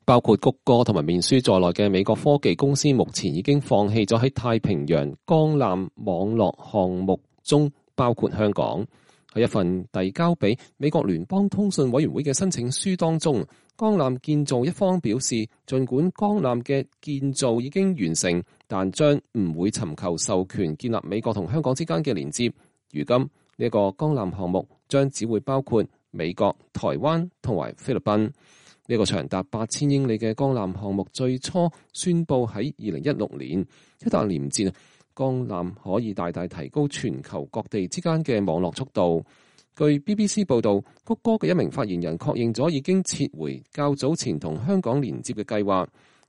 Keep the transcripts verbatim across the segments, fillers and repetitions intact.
包括谷歌同埋面書在內嘅美國科技公司目前已經放棄咗喺太平洋光纜網絡項目中包括香港。喺一份遞交俾美國聯邦通訊委員會嘅申請書當中，光纜建造一方表示，儘管光纜嘅建造已經完成，但將唔會尋求授權建立美國同香港之間嘅連接。如今呢一個光纜項目將只會包括美國、台灣同埋菲律賓。呢個長達八千英里嘅光纜項目最初宣布喺二零一六年，一旦連接，光纜可以大大提高全球各地之間嘅網絡速度。據 B B C 報導，谷歌嘅一名發言人確認咗已經撤回較早前同香港連接嘅計劃。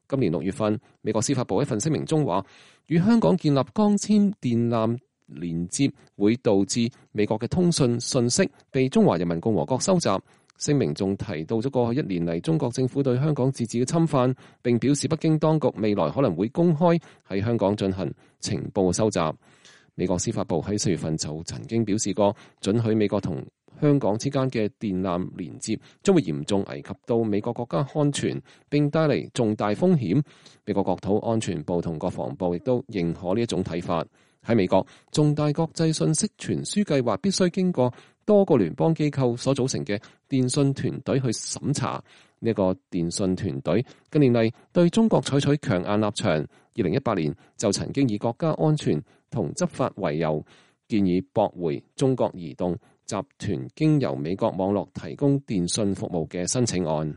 今年六月份，美國司法部一份聲明中話，與香港建立光纖電纜連接會導致美國嘅通訊信息被中華人民共和國收集。聲明仲提到咗過去一年嚟中國政府對香港自治嘅侵犯，並表示北京當局未來可能會公開喺香港進行情報收集。美國司法部喺四月份就曾經表示過，准許美國同香港之間嘅電纜連接將會嚴重危及到美國國家安全，並帶嚟重大風險。美國國土安全部同國防部亦都認可呢一種睇法。喺美國，重大國際信息傳輸計劃必須經過多個聯邦機構所組成嘅電信團隊去審查。呢個電信團隊近年嚟對中國採取強硬立場。二零一八年就曾經以國家安全同執法為由，建議駁回中國移動集團經由美國網絡提供電信服務嘅申請案。